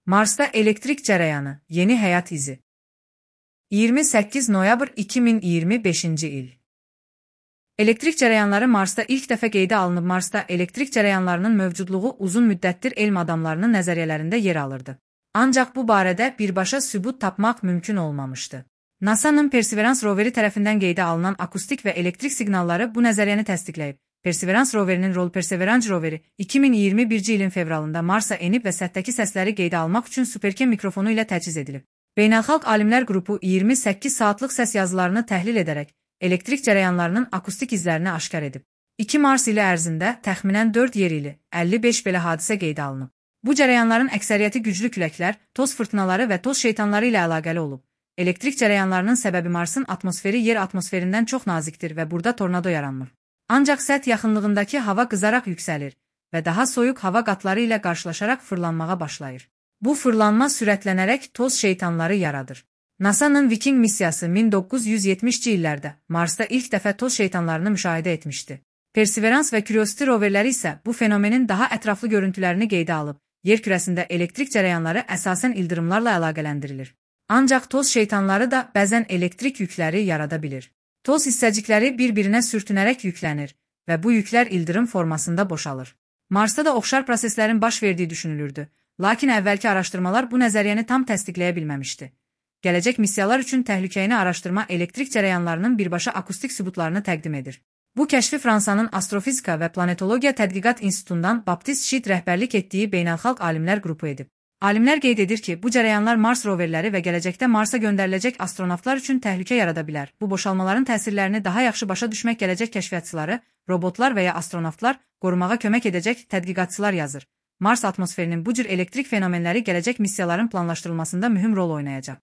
Marsda elektrik cərəyanı, yeni həyat izi. 28 noyabr 2025-ci il. Elektrik cərəyanları Marsda ilk dəfə qeydə alınıb. Marsda elektrik cərəyanlarının mövcudluğu uzun müddətdir elm adamlarının nəzəriyyələrində yer alırdı. Ancaq bu barədə birbaşa sübut tapmaq mümkün olmamışdı. NASA-nın Perseverance roveri tərəfindən qeydə alınan akustik və elektrik siqnalları bu nəzəriyyəni təsdiqləyib. Perseverance roverinin rolu Perseverance roveri 2021-ci ilin fevralında Marsa enib və səthəki səsləri qeydə almaq üçün Supercam mikrofonu ilə təchiz edilib. Beynəlxalq alimlər qrupu 28 saatlıq səs yazılarını təhlil edərək elektrik cərəyanlarının akustik izlərini aşkar edib. 2 Mars ili ərzində təxminən 4 yer ili 55 belə hadisə qeydə alınıb. Bu cərəyanların əksəriyyəti güclü küləklər, toz fırtınaları və toz şeytanları ilə əlaqəli olub. Elektrik cərəyanlarının səbəbi Marsın atmosferi yer atmosferindən çox nazikdir və burada tornado yaranmır. Ancaq səth yaxınlığındakı hava qızaraq yüksəlir və daha soyuq hava qatları ilə qarşılaşaraq fırlanmağa başlayır. Bu fırlanma sürətlənərək toz şeytanları yaradır. NASA-nın Viking missiyası 1970-ci illərdə Marsda ilk dəfə toz şeytanlarını müşahidə etmişdi. Perseverance və Curiosity roverləri isə bu fenomenin daha ətraflı görüntülərini qeydə alıb, yer kürəsində elektrik cərəyanları əsasən ildırımlarla əlaqələndirilir. Ancaq toz şeytanları da bəzən elektrik yükləri yarada bilir. Toz hissəcikləri bir-birinə sürtünərək yüklənir və bu yüklər ildırım formasında boşalır. Marsda da oxşar proseslərin baş verdiyi düşünülürdü, lakin əvvəlki araşdırmalar bu nəzəriyyəni tam təsdiqləyə bilməmişdi. Gələcək missiyalar üçün təhlükəni araşdırma elektrik cərəyanlarının birbaşa akustik sübutlarını təqdim edir. Bu kəşfi Fransanın Astrofizika və Planetologiya Tədqiqat İnstitutundan Baptiste Chit rəhbərlik etdiyi beynəlxalq alimlər qrupu edib. Alimlər qeyd edir ki, bu cərəyanlar Mars roverləri və gələcəkdə Marsa göndəriləcək astronavtlar üçün təhlükə yarada bilər. Bu boşalmaların təsirlərini daha yaxşı başa düşmək gələcək kəşfiyyatçıları, robotlar və ya astronavtlar qorumağa kömək edəcək tədqiqatçılar yazır. Mars atmosferinin bu cür elektrik fenomenləri gələcək missiyaların planlaşdırılmasında mühüm rol oynayacaq.